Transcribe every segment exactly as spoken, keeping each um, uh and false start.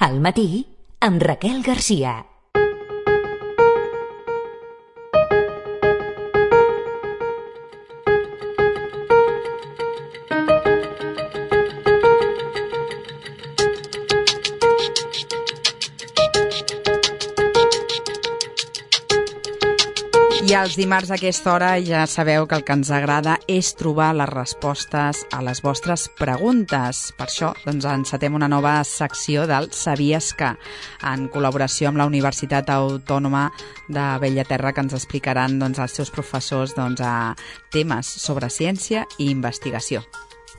Al matí, amb Raquel Garcia. I els dimarts a aquesta hora ja sabeu que el que ens agrada és trobar les respostes a les vostres preguntes. Per això doncs, encetem una nova secció del Sabies que, en col·laboració amb la Universitat Autònoma de Bellaterra, que ens explicaran doncs, els seus professors doncs, a temes sobre ciència i investigació.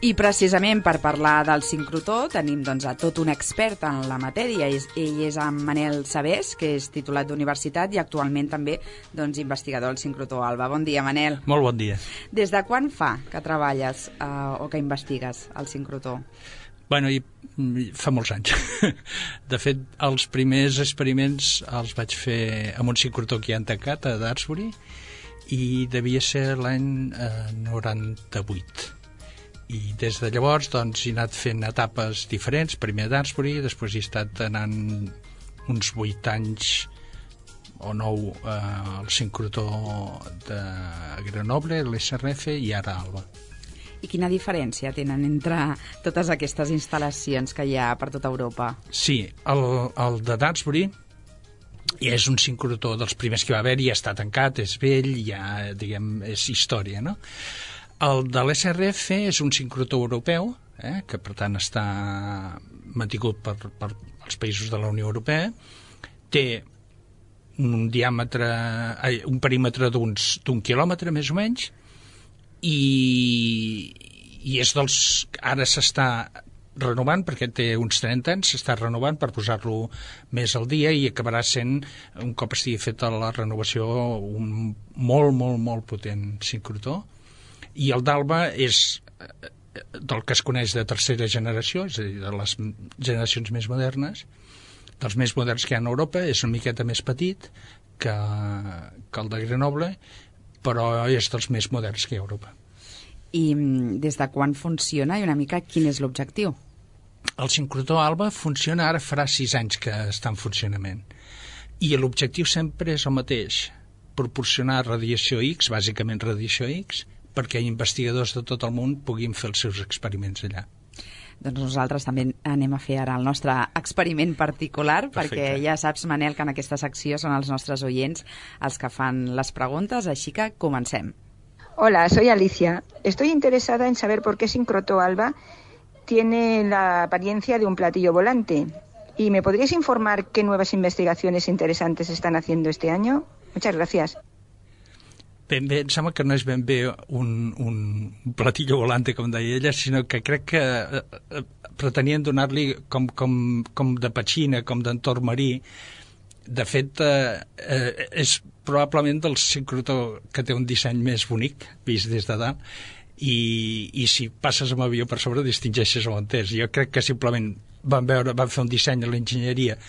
I precisament per parlar del sincrotró tenim doncs, a tot un expert en la matèria. Ell és en Manel Sabés, que és titulat d'universitat i actualment també doncs, investigador al sincrotró Alba. Bon dia, Manel. Molt bon dia. Des de quan fa que treballes eh, o que investigues al sincrotró? Bueno, i, fa molts anys. De fet, els primers experiments els vaig fer amb un sincrotró que hi ha tancat a Daresbury i devia ser l'any eh, noranta-vuit. I des de llavors doncs, he anat fent etapes diferents, primer a Daresbury, després he estat anant uns vuit anys o nou eh, al sincrotró de Grenoble, l'S R F i ara Alba. I quina diferència tenen entre totes aquestes instal·lacions que hi ha per tota Europa? Sí, el, el de Daresbury és un sincrotró dels primers que va haver-hi, ja està tancat, és vell, ja, diguem, és història, no? El de l'S R F és un sincrotró europeu, eh, que per tant està mantingut per, per els països de la Unió Europea, té un diàmetre, un perímetre d'uns d'un quilòmetre més o menys, i, i és dels... ara s'està renovant, perquè té uns trenta anys, s'està renovant per posar-lo més al dia i acabarà sent, un cop estigui feta la renovació, un molt, molt, molt potent sincrotró. I el d'Alba és del que es coneix de tercera generació, és a dir, de les generacions més modernes, dels més moderns que hi ha a Europa, és una miqueta més petit que, que el de Grenoble, però és dels més moderns que hi ha a Europa. I des de quan funciona i una mica quin és l'objectiu? El sincrotró Alba funciona, ara farà sis anys que està en funcionament. I l'objectiu sempre és el mateix, proporcionar radiació X, bàsicament radiació X, perquè investigadors de tot el món puguin fer els seus experiments allà. Doncs nosaltres també anem a fer ara el nostre experiment particular. Perfecte. Perquè ja saps, Manel, que en aquesta secció són els nostres oients els que fan les preguntes, així que comencem. Hola, soy Alicia. Estoy interesada en saber por qué Sincrotró Alba tiene la apariencia de un platillo volante. ¿Y me podrías informar qué nuevas investigaciones interesantes están haciendo este año? Muchas gracias. Ben bé, em sembla que no és ben bé un, un platillo volante, com deia ella, sinó que crec que eh, pretenien donar-li com, com, com de petxina, com d'entorn marí. De fet, eh, eh, és probablement del sincrotró que té un disseny més bonic, vist des de dalt, i, i si passes amb avió per sobre distingeixes on és. Jo crec que simplement van, veure, van fer un disseny a l'enginyeria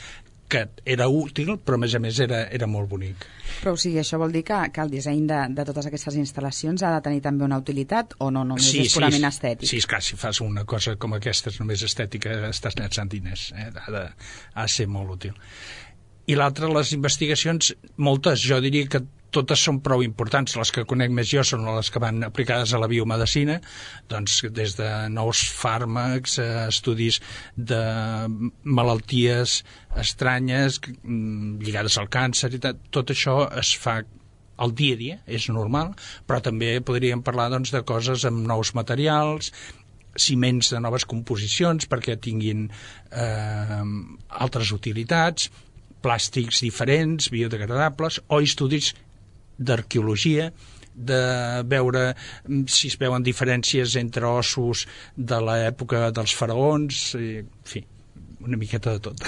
que era útil, però a més a més era, era molt bonic. Però o sigui, això vol dir que, que el disseny de, de totes aquestes instal·lacions ha de tenir també una utilitat o no, només sí, és purament sí, estètic? Sí, és clar, si fas una cosa com aquesta és només estètica, estàs llançant diners, eh? ha, de, ha de ser molt útil. I l'altre, les investigacions, moltes, jo diria que totes són prou importants. Les que conec més jo són les que van aplicades a la biomedicina, doncs des de nous fàrmacs, estudis de malalties estranyes lligades al càncer i tot, tot això es fa al dia a dia, és normal, però també podríem parlar doncs, de coses amb nous materials, ciments de noves composicions perquè tinguin eh, altres utilitats, plàstics diferents, biodegradables, o estudis d'arqueologia, de veure si es veuen diferències entre ossos de l'època dels faraons, en fi, una miqueta de tot.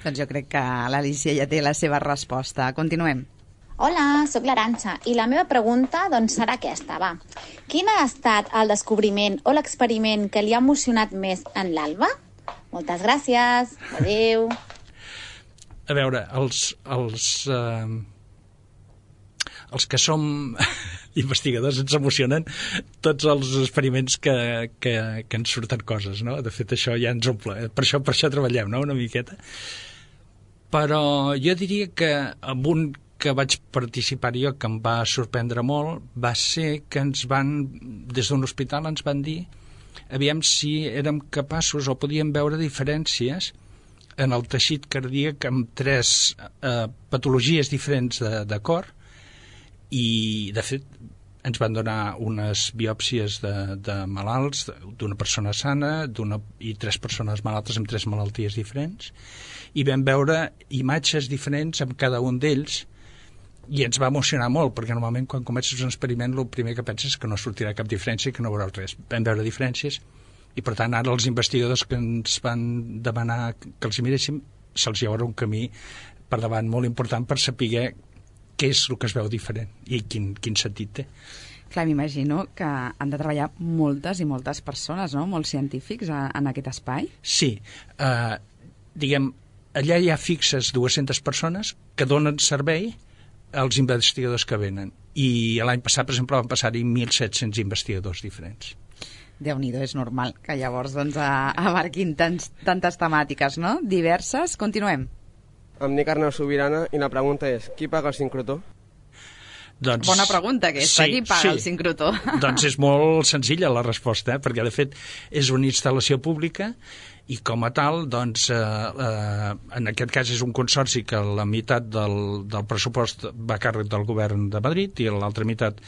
Doncs jo crec que l'Alicia ja té la seva resposta. Continuem. Hola, sóc l'Arantxa i la meva pregunta doncs, serà aquesta, va. Quin ha estat el descobriment o l'experiment que li ha emocionat més en l'Alba? Moltes gràcies, adéu. A veure, els... els eh... els que som investigadors ens emocionen tots els experiments que, que, que ens surten coses, no? De fet, això ja ens omple. Per això, per això treballem, no?, una miqueta. Però jo diria que amb un que vaig participar jo, que em va sorprendre molt, va ser que ens van, des d'un hospital ens van dir aviam si érem capaços o podíem veure diferències en el teixit cardíac amb tres eh, patologies diferents de, de cor, i de fet ens van donar unes biòpsies de, de malalts, d'una persona sana d'una, i tres persones malaltes amb tres malalties diferents, i vam veure imatges diferents amb cada un d'ells, i ens va emocionar molt, perquè normalment quan comences un experiment el primer que penses és que no sortirà cap diferència i que no veuràs res. Vam veure diferències, i per tant ara els investigadors que ens van demanar que els miréssim, se'ls hi haurà un camí per davant molt important per saber què és el que es veu diferent i quin, quin sentit té. Clar, m'imagino que han de treballar moltes i moltes persones, no?, molts científics a, en aquest espai. Sí, eh, diguem, allà hi ha fixes dues-centes persones que donen servei als investigadors que venen, i l'any passat, per exemple, van passar-hi mil set-cents investigadors diferents. Déu-n'hi-do, és normal que llavors doncs, abarquin tants, tantes temàtiques, no?, diverses. Continuem. Em dic Arnau Sobirana i la pregunta és, qui paga el sincrotó? Doncs, bona pregunta aquesta, sí, qui paga sí. el sincrotó? Doncs és molt senzilla la resposta, eh? Perquè de fet és una instal·lació pública i com a tal, doncs, eh, eh, en aquest cas és un consorci que la meitat del, del pressupost va a càrrec del govern de Madrid i l'altra meitat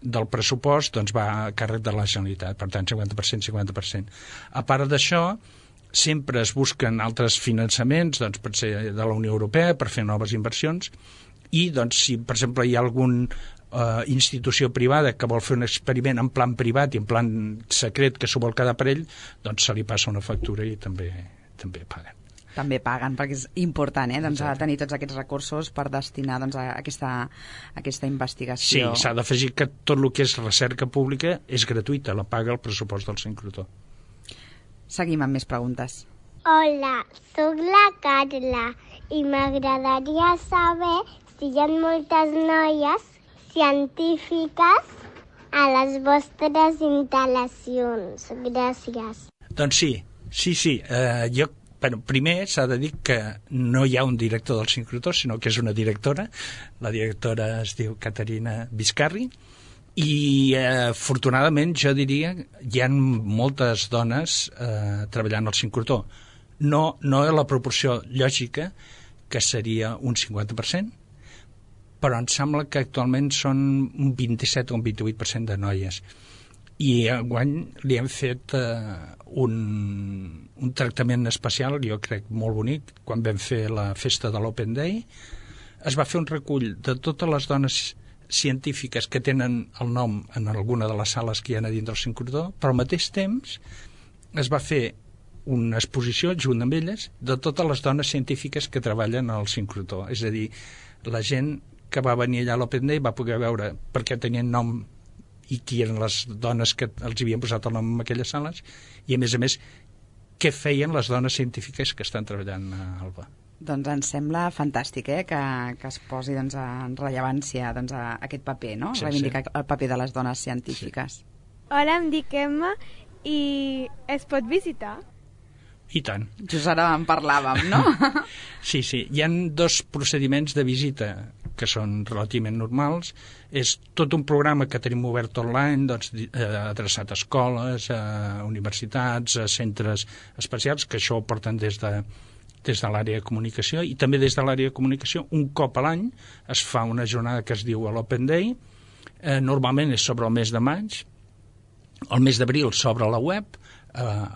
del pressupost doncs, va a càrrec de la Generalitat, per tant cinquanta per cent, cinquanta per cent. A part d'això, sempre es busquen altres finançaments, doncs, per ser de la Unió Europea, per fer noves inversions, i doncs, si per exemple hi ha algun eh, institució privada que vol fer un experiment en plan privat i en plan secret que s'ho vol quedar per ell, doncs se li passa una factura i també, també paguen. També paguen, perquè és important, eh? Doncs, a tenir tots aquests recursos per destinar doncs, a, aquesta, a aquesta investigació. Sí, s'ha d'afegir que tot el que és recerca pública és gratuïta, la paga el pressupost del sincrotó. Seguim amb més preguntes. Hola, sóc la Carla i m'agradaria saber si hi ha moltes noies científiques a les vostres instal·lacions. Gràcies. Doncs sí, sí, sí. Eh, jo, bueno, primer s'ha de dir que no hi ha un director del sincrotó, sinó que és una directora. La directora es diu Caterina Vizcarri, i eh, afortunadament jo diria hi ha moltes dones eh, treballant al sincrotó. No, no és la proporció lògica, que seria un cinquanta per cent, però em sembla que actualment són un vint-i-set o un vint-i-vuit per cent de noies. I enguany li hem fet eh, un, un tractament especial, jo crec molt bonic, quan vam fer la festa de l'Open Day. Es va fer un recull de totes les dones científiques que tenen el nom en alguna de les sales que hi ha a dins del sincrotó, però al mateix temps es va fer una exposició junt amb elles de totes les dones científiques que treballen al sincrotó. És a dir, la gent que va venir allà a l'Open Day va poder veure per què tenien nom i qui eren les dones que els havien posat el nom en aquelles sales, i a més a més què feien les dones científiques que estan treballant a Alba. Doncs ens sembla fantàstic, eh, que, que es posi doncs, en rellevància doncs, a aquest paper, no? Sí, reivindicar sí. el paper de les dones científiques. Sí. Hola, em dic Emma i es pot visitar? I tant. Just ara en parlàvem, no? Sí, sí. Hi ha dos procediments de visita que són relativament normals. És tot un programa que tenim obert online, doncs, eh, adreçat a escoles, a universitats, a centres especials, que això ho porten des de, des de l'àrea de comunicació, i també des de l'àrea de comunicació, un cop a l'any es fa una jornada que es diu l'Open Day. Eh, normalment és sobre el mes de maig. El mes d'abril s'obre la web, eh,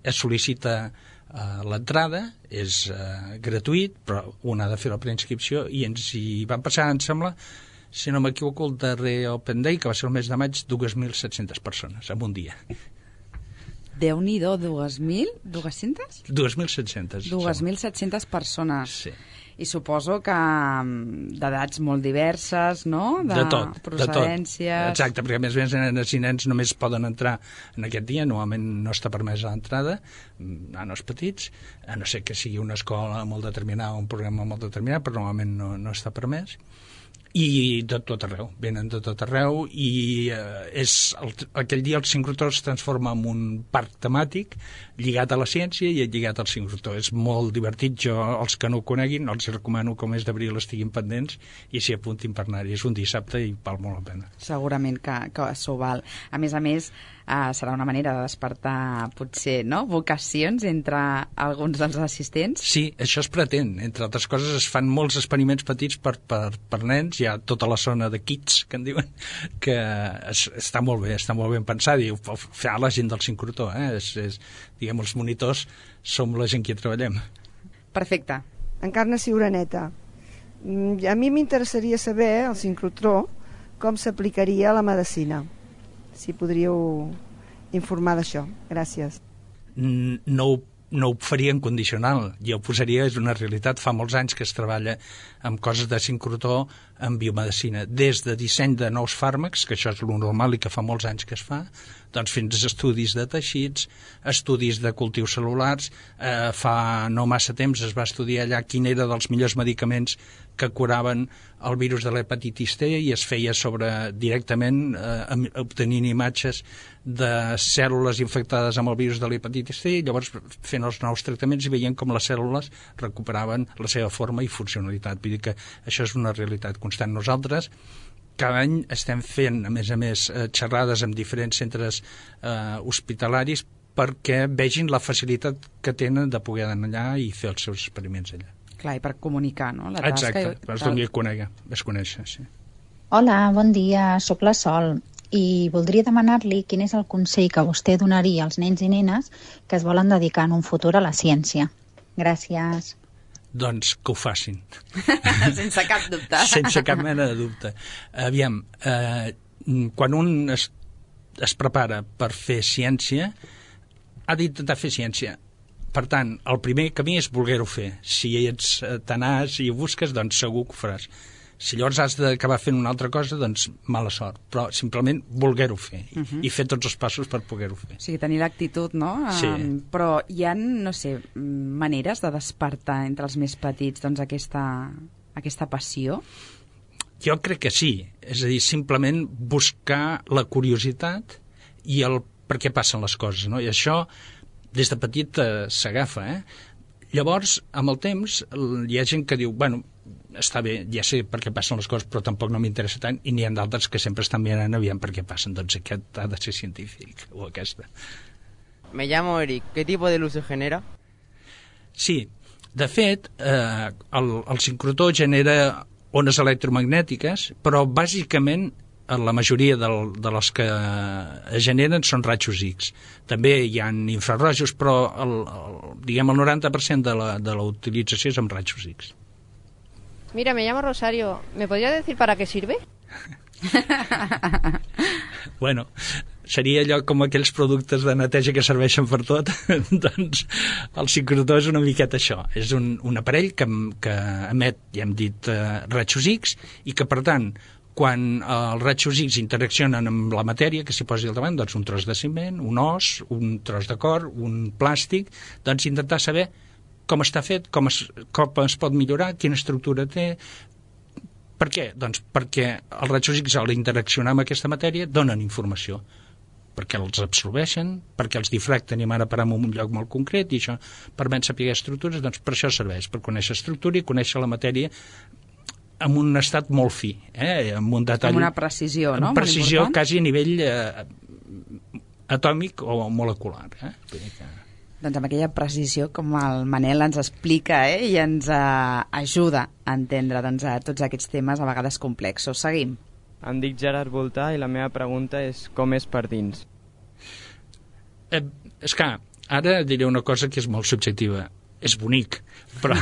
es sol·licita eh, l'entrada, és eh, gratuït, però un ha de fer la preinscripció, i ens hi van passar, em sembla, si no m'equivoco, el darrer Open Day, que va ser el mes de maig, dues mil set-centes persones en un dia. Déu-n'hi-do, dues mil? dues-centes? dues mil set-centes. dues mil set-centes persones. Sí. I suposo que d'edats molt diverses, no? De, de tot, procedències... De tot. Exacte, perquè a més a més nens i nens només poden entrar en aquest dia, normalment no està permesa l'entrada, nanos petits, a no ser que sigui una escola molt determinada o un programa molt determinat, però normalment no, no està permès. I de tot arreu, venen de tot arreu i eh, és el, aquell dia el sincrotró es transforma en un parc temàtic lligat a la ciència i lligat al sincrotró. És molt divertit, jo els que no ho coneguin els recomano que al mes d'abril estiguin pendents i s'hi apuntin per anar-hi. És un dissabte i val molt la pena. Segurament que, que s'ho val. A més a més, eh, serà una manera de despertar potser, no?, vocacions entre alguns dels assistents. Sí, això es pretén. Entre altres coses es fan molts experiments petits per, per, per nens. Hi ha tota la zona de kids, que en diuen, que es, està molt bé, està molt ben pensat, i ho fa la gent del sincrotró, eh? És, és, diguem, els monitors som la gent que hi treballem. Perfecte. Encarnació Uraneta. A mi m'interessaria saber, el sincrotró, com s'aplicaria a la medicina. Si podríeu informar d'això. Gràcies. No ho no ho faria en condicional, jo ho posaria, és una realitat, fa molts anys que es treballa amb coses de sincrotró en biomedicina, des de disseny de nous fàrmacs, que això és lo normal i que fa molts anys que es fa, doncs fins a estudis de teixits, estudis de cultius cel·lulars, eh, fa no massa temps es va estudiar allà quin era dels millors medicaments que curaven el virus de l'hepatitis C i es feia sobre directament eh, obtenint imatges de cèl·lules infectades amb el virus de l'hepatitis C i llavors fent els nous tractaments i veient com les cèl·lules recuperaven la seva forma i funcionalitat. Vull dir que això és una realitat constant. Nosaltres cada any estem fent, a més a més, xerrades amb diferents centres eh, hospitalaris perquè vegin la facilitat que tenen de poder anar allà i fer els seus experiments allà. Clar, i per comunicar, no?, la tasca. Exacte, per donar a conèixer, es conèixer, sí. Hola, bon dia, sóc la Sol i voldria demanar-li quin és el consell que vostè donaria als nens i nenes que es volen dedicar en un futur a la ciència. Gràcies. Doncs que ho facin. Sense cap dubte. Sense cap mena de dubte. Aviam, eh, quan un es, es prepara per fer ciència, ha d'intentar fer ciència. Per tant, el primer camí és voler-ho fer. Si ets tenaç i ho busques, doncs segur que ho faràs. Si llavors has d'acabar fent una altra cosa, doncs mala sort. Però simplement voler-ho fer uh -huh. i fer tots els passos per poder-ho fer. O sigui, tenir l'actitud, no? Sí. Um, però hi ha, no sé, maneres de despertar entre els més petits doncs aquesta, aquesta passió? Jo crec que sí. És a dir, simplement buscar la curiositat i el per què passen les coses, no? I això des de petit eh, s'agafa, eh? Llavors, amb el temps, hi ha gent que diu, bueno, està bé, ja sé per què passen les coses, però tampoc no m'interessa tant, i n'hi ha d'altres que sempre estan mirant aviam per què passen, doncs aquest ha de ser científic, o aquesta. Me llamo Eric, ¿qué tipo de luz se genera? Sí, de fet, eh, el, el sincrotró genera ones electromagnètiques, però bàsicament la majoria del, de les que es generen són rajos X. També hi ha infrarrojos, però el, el, diguem el noranta per cent de la, de la utilització és amb rajos X. Mira, me llamo Rosario. ¿Me podría decir para qué sirve? Bueno, seria allò com aquells productes de neteja que serveixen per tot. Doncs el sincrotró és una miqueta això. És un, un aparell que, que emet, ja hem dit, eh, rajos X, i que, per tant, quan els rajos X interaccionen amb la matèria que s'hi posi al davant, doncs un tros de ciment, un os, un tros de cor, un plàstic, doncs intentar saber com està fet, com es, com es pot millorar, quina estructura té. Per què? Doncs perquè els rajos X, al interaccionar amb aquesta matèria, donen informació, perquè els absorbeixen, perquè els difracten i van a parar en un lloc molt concret, i això permet saber estructures, doncs per això serveix, per conèixer estructura i conèixer la matèria amb un estat molt fi, eh? Amb un detall... Amb una precisió, no? Amb precisió quasi a nivell eh, atòmic o molecular. Eh? Que... Doncs amb aquella precisió com el Manel ens explica, eh? I ens eh, ajuda a entendre doncs, a tots aquests temes a vegades complexos. Seguim. Em dic Gerard Voltà i la meva pregunta és com és per dins? Eh, és que ara diré una cosa que és molt subjectiva. És bonic, però,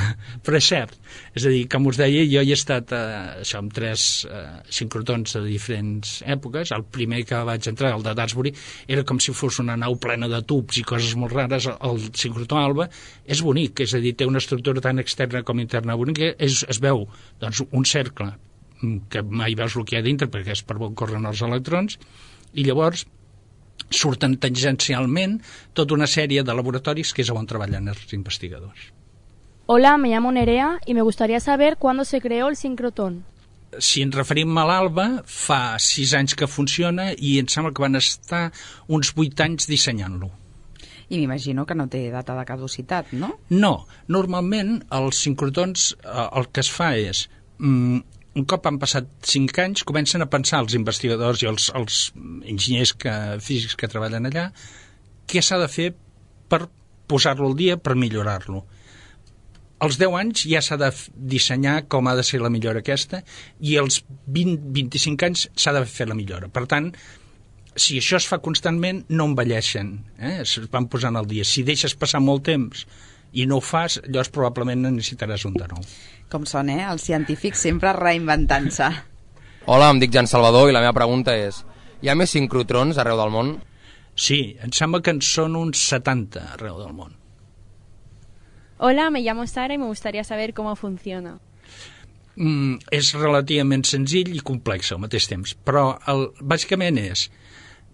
però és cert. És a dir, com us deia, jo hi he estat eh, això, amb tres eh, sincrotrons de diferents èpoques. El primer que vaig entrar, el de Dansbury, era com si fos una nau plena de tubs i coses molt rares. El sincrotró Alba és bonic, és a dir, té una estructura tan externa com interna bonica. És, es veu doncs, un cercle que mai veus el que hi ha dintre perquè és per on corren els electrons, i llavors surten tangencialment tota una sèrie de laboratoris que és on treballen els investigadors. Hola, me llamo Nerea y me gustaría saber cuándo se creó el sincrotrón. si ens referim a l'Alba, fa sis anys que funciona i em sembla que van estar uns vuit anys dissenyant-lo. I m'imagino que no té data de caducitat, no? No, normalment els sincrotrons el que es fa és, un cop han passat cinc anys, comencen a pensar els investigadors i els, els enginyers que, físics que treballen allà què s'ha de fer per posar-lo al dia, per millorar-lo. Als deu anys ja s'ha de dissenyar com ha de ser la millora aquesta i als vint a vint-i-cinc anys s'ha de fer la millora. Per tant, si això es fa constantment, no envelleixen, eh? Es van posant al dia. Si deixes passar molt temps i no ho fas, llavors probablement necessitaràs un de nou. Com són, eh? Els científics sempre reinventant-se. Hola, em dic Jan Salvador i la meva pregunta és: hi ha més sincrotrons arreu del món? Sí, em sembla que en són uns setanta arreu del món. Hola, me llamo Sara y me gustaría saber cómo funciona. Mm, és relativament senzill i complex al mateix temps, però el, bàsicament és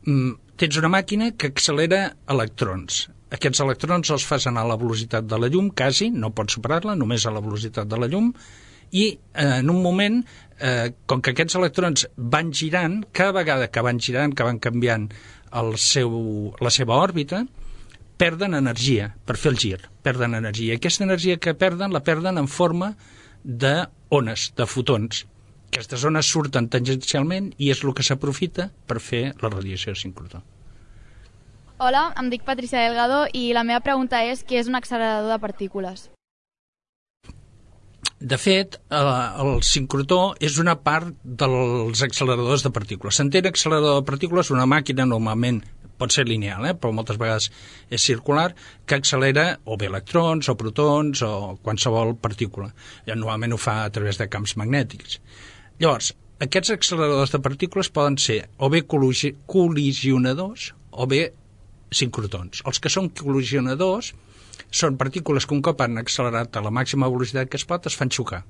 mm, tens una màquina que accelera electrons. Aquests electrons els fas anar a la velocitat de la llum, quasi, no pots superar-la, només a la velocitat de la llum, i eh, en un moment, eh, com que aquests electrons van girant, cada vegada que van girant, que van canviant el seu, la seva òrbita, perden energia per fer el gir, perden energia. Aquesta energia que perden, la perden en forma d'ones, de fotons. Aquestes ones surten tangencialment i és el que s'aprofita per fer la radiació sincrotró. Hola, em dic Patricia Delgado i la meva pregunta és què és un accelerador de partícules? De fet, el sincrotró és una part dels acceleradors de partícules. S'entén accelerador de partícules una màquina normalment pot ser lineal, eh? Però moltes vegades és circular, que accelera o bé electrons o protons o qualsevol partícula. I normalment ho fa a través de camps magnètics. Llavors, aquests acceleradors de partícules poden ser o bé col·lisionadors o bé sincrotrons. Els que són col·lisionadors són partícules que un cop han accelerat a la màxima velocitat que es pot es fan xocar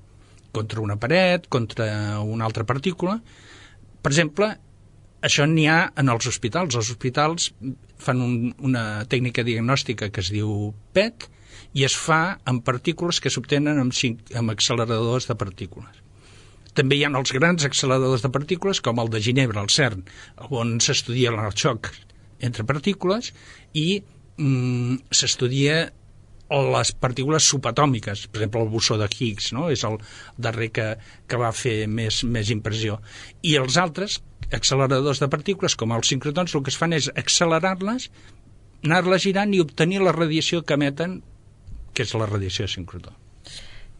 contra una paret, contra una altra partícula. Per exemple, això n'hi ha en els hospitals. Els hospitals fan un, una tècnica diagnòstica que es diu P E T i es fa amb partícules que s'obtenen amb, amb acceleradors de partícules. També hi ha els grans acceleradors de partícules, com el de Ginebra, el CERN, on s'estudia el xoc entre partícules i mm, s'estudia les partícules subatòmiques, per exemple el bosó de Higgs, no? És el darrer que, que va fer més, més impressió. I els altres acceleradors de partícules, com els sincrotrons, el que es fan és accelerar-les, anar-les girant i obtenir la radiació que emeten, que és la radiació sincrotró.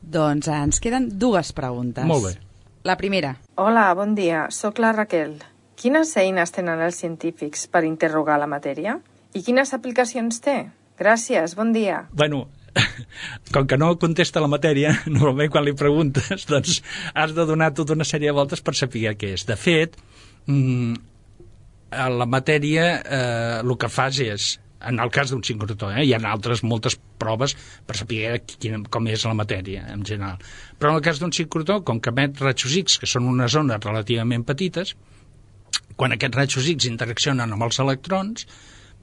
Doncs ens queden dues preguntes. Molt bé. La primera. Hola, bon dia. Soc la Raquel. Quines eines tenen els científics per interrogar la matèria? I quines aplicacions té? Gràcies, bon dia. Bueno, com que no contesta la matèria, normalment quan li preguntes, doncs has de donar tota una sèrie de voltes per saber què és. De fet, la matèria eh, el que fas és, en el cas d'un sincrotró, eh, hi ha altres moltes proves per saber quina, com és la matèria en general. Però en el cas d'un sincrotró, com que emet rajos X, que són unes ones relativament petites, quan aquests rajos X interaccionen amb els electrons,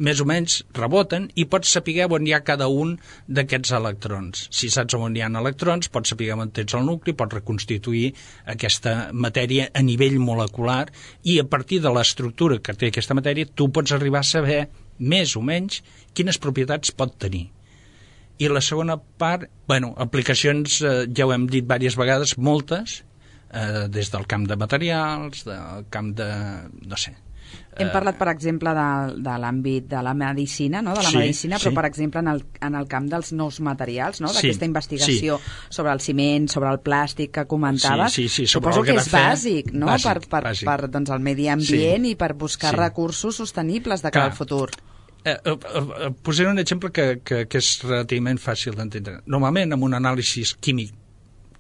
més o menys reboten i pots saber on hi ha cada un d'aquests electrons. Si saps on hi ha electrons, pots saber on tens el nucli, pots reconstituir aquesta matèria a nivell molecular i a partir de l'estructura que té aquesta matèria tu pots arribar a saber més o menys quines propietats pot tenir. I la segona part, bueno, aplicacions, eh, ja ho hem dit diverses vegades, moltes, eh, des del camp de materials, del camp de, no sé, Hem parlat, per exemple, de, de l'àmbit de la medicina, no? de la sí, medicina, però, sí. per exemple, en el, en el camp dels nous materials, no? d'aquesta sí, investigació sí. sobre el ciment, sobre el plàstic que comentaves, sí, sí, sí, suposo que és bàsic, no? bàsic, per, per, bàsic. per doncs, el medi ambient sí. i per buscar sí. recursos sostenibles de cara al futur. Eh, eh, eh, posaré un exemple que, que, que és relativament fàcil d'entendre. Normalment, amb un anàlisi químic,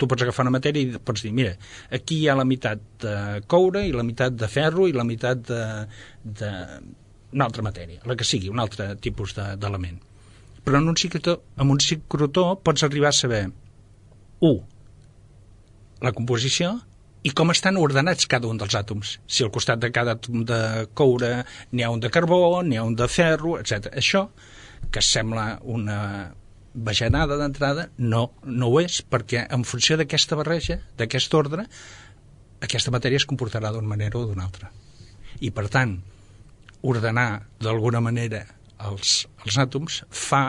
tu pots agafar una matèria i pots dir, mira, aquí hi ha la meitat de coure i la meitat de ferro i la meitat de, de una altra matèria, la que sigui, un altre tipus d'element. De, Però en un sincrotró, amb un sincrotró pots arribar a saber, u, la composició i com estan ordenats cada un dels àtoms. Si al costat de cada àtom de coure n'hi ha un de carbó, n'hi ha un de ferro, etcètera. Això, que sembla una bajanada d'entrada, no, no ho és, perquè en funció d'aquesta barreja, d'aquest ordre, aquesta matèria es comportarà d'una manera o d'una altra. I, per tant, ordenar d'alguna manera els, els àtoms fa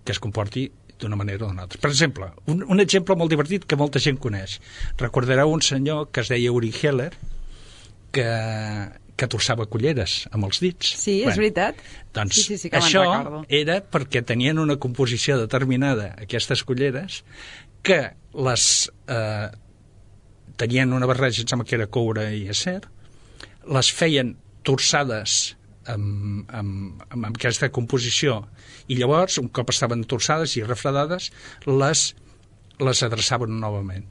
que es comporti d'una manera o d'una altra. Per exemple, un, un exemple molt divertit que molta gent coneix. Recordareu un senyor que es deia Uri Geller, que, que torçava culleres amb els dits. Sí, és bueno, veritat. Doncs sí, sí, sí que això recordo. Era perquè tenien una composició determinada, aquestes culleres, que les eh, tenien una barreja, em sembla que era coure i acer, les feien torçades amb, amb, amb aquesta composició, i llavors, un cop estaven torçades i refredades, les, les adreçaven novament.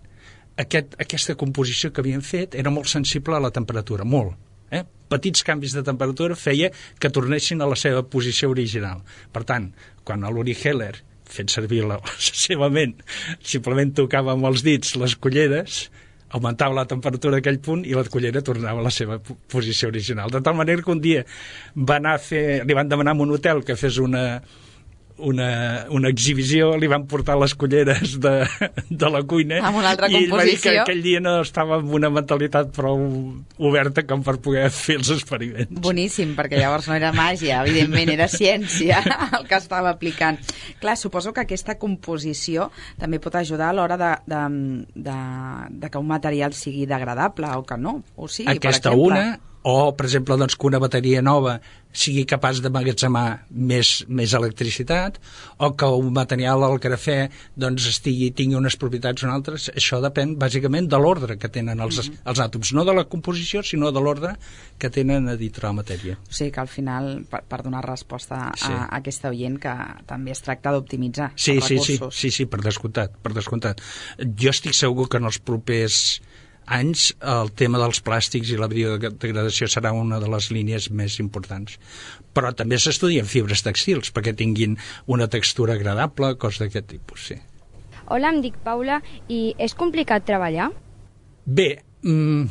Aquest, aquesta composició que havien fet era molt sensible a la temperatura, molt. Eh? Petits canvis de temperatura feia que tornessin a la seva posició original. Per tant, quan l'Uri Geller, fent servir la, la seva ment, simplement tocava amb els dits les culleres, augmentava la temperatura d'aquell punt i la cullera tornava a la seva posició original. De tal manera que un dia va anar a fer, li van demanar a un hotel que fes una, una, una exhibició, li van portar les culleres de, de la cuina amb una altra i ell va dir que composició. aquell dia no estava amb una mentalitat prou oberta com per poder fer els experiments. Boníssim, perquè llavors no era màgia, evidentment era ciència el que estava aplicant. Clar, suposo que aquesta composició també pot ajudar a l'hora de, de, de, de que un material sigui degradable o que no, o sigui, aquesta per exemple... una, o, per exemple, doncs, que una bateria nova sigui capaç d'emmagatzemar més, més electricitat, o que un material al grafè doncs, estigui, tingui unes propietats o altres. Això depèn, bàsicament, de l'ordre que tenen els, mm-hmm. els àtoms. No de la composició, sinó de l'ordre que tenen a dintre la matèria. O sigui que al final, per, per donar resposta a, sí. a aquesta oient, que també es tracta d'optimitzar sí, els sí, recursos. Sí, sí, sí, per descomptat, per descomptat. Jo estic segur que en els propers anys el tema dels plàstics i la biodegradació serà una de les línies més importants. Però també s'estudien fibres textils perquè tinguin una textura agradable, coses d'aquest tipus, sí. Hola, em dic Paula i és complicat treballar? Bé, mmm,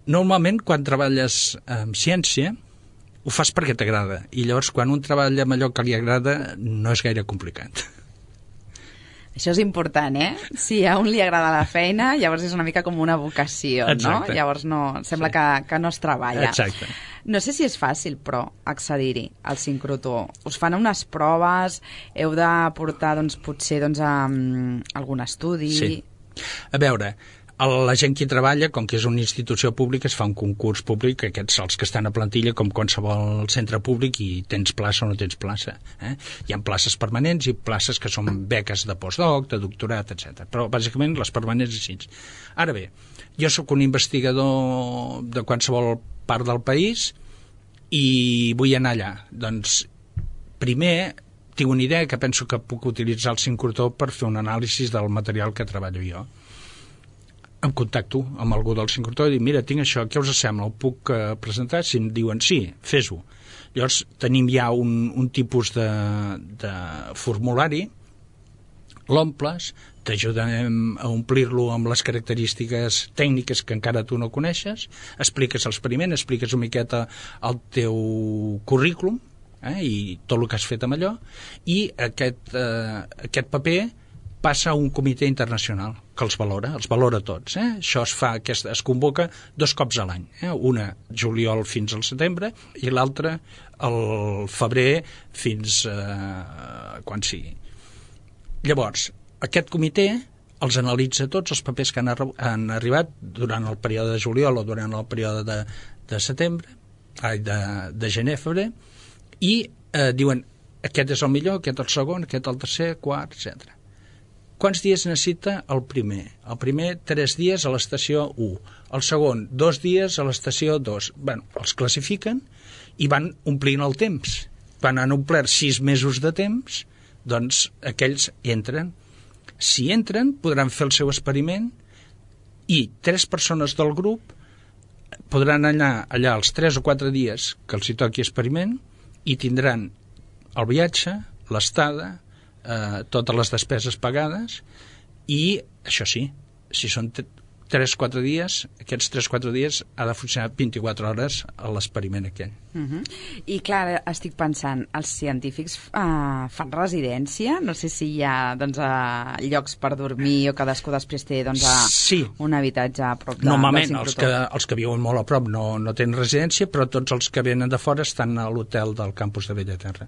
normalment quan treballes amb ciència ho fas perquè t'agrada i llavors quan un treballa amb allò que li agrada no és gaire complicat. Això és important, eh? Si a un li agrada la feina, llavors és una mica com una vocació, Exacte. no? Llavors no, sembla sí. que, que no es treballa. Exacte. No sé si és fàcil, però, accedir-hi al sincrotró. Us fan unes proves, heu de portar, doncs, potser, doncs, a, um, algun estudi... Sí. A veure, la gent que hi treballa, com que és una institució pública, es fa un concurs públic, aquests els que estan a plantilla, com qualsevol centre públic, i tens plaça o no tens plaça. Eh? Hi ha places permanents i places que són beques de postdoc, de doctorat, etcètera. Però, bàsicament, les permanents així. Ara bé, jo sóc un investigador de qualsevol part del país i vull anar allà. Doncs, primer, tinc una idea que penso que puc utilitzar el sincrotró per fer un anàlisi del material que treballo jo. Em contacto amb algú del sincrotró i dic, mira, tinc això, què us sembla? Ho puc uh, presentar? Si em diuen sí, fes-ho. Llavors tenim ja un, un tipus de, de formulari, l'omples, t'ajudem a omplir-lo amb les característiques tècniques que encara tu no coneixes, expliques l'experiment, expliques una miqueta el teu currículum, eh, i tot el que has fet amb allò, i aquest, eh, aquest paper passa a un comitè internacional que els valora, els valora tots. Eh? Això es fa, aquest, es convoca dos cops a l'any. Eh? Una juliol fins al setembre i l'altra al febrer fins a quan sigui. Llavors, aquest comitè els analitza tots els papers que han, han arribat durant el període de juliol o durant el període de, de setembre, ai, de, de gener-febrer, i eh, diuen aquest és el millor, aquest el segon, aquest el tercer, quart, etcètera. Quants dies necessita el primer? El primer, tres dies a l'estació u. El segon, dos dies a l'estació dos. Bueno, els classifiquen i van omplint el temps. Quan han omplert sis mesos de temps, doncs aquells entren. Si entren, podran fer el seu experiment i tres persones del grup podran anar allà els tres o quatre dies que els hi toqui experiment i tindran el viatge, l'estada, Eh, totes les despeses pagades i, això sí, si són tres o quatre dies, aquests tres o quatre dies ha de funcionar vint-i-quatre hores a l'experiment aquell. Uh -huh. I clar, estic pensant, els científics uh, fan residència? No sé si hi ha doncs, uh, llocs per dormir o cadascú després té doncs, uh, sí. un habitatge a prop de, Normalment, del els sincrotró. que, els que viuen molt a prop no, no tenen residència, però tots els que venen de fora estan a l'hotel del campus de Bellaterra.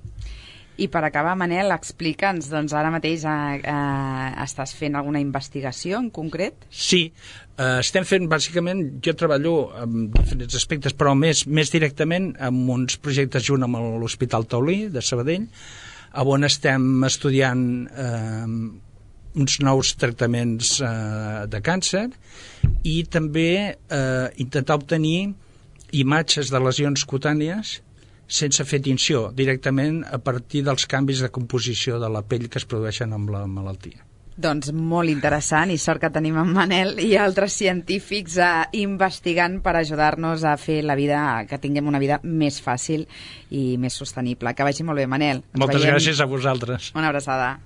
I per acabar, Manel, explica'ns, doncs ara mateix eh, eh, estàs fent alguna investigació en concret? Sí, eh, estem fent, bàsicament, jo treballo en diferents aspectes, però més, més directament amb uns projectes junt amb l'Hospital Taulí de Sabadell, on estem estudiant eh, uns nous tractaments eh, de càncer i també eh, intentar obtenir imatges de lesions cutànies sense fer tinció, directament a partir dels canvis de composició de la pell que es produeixen amb la malaltia. Doncs molt interessant, i sort que tenim en Manel i altres científics eh, investigant per ajudar-nos a fer la vida, que tinguem una vida més fàcil i més sostenible. Que vagi molt bé, Manel. Ens Moltes veiem. gràcies a vosaltres. Una abraçada.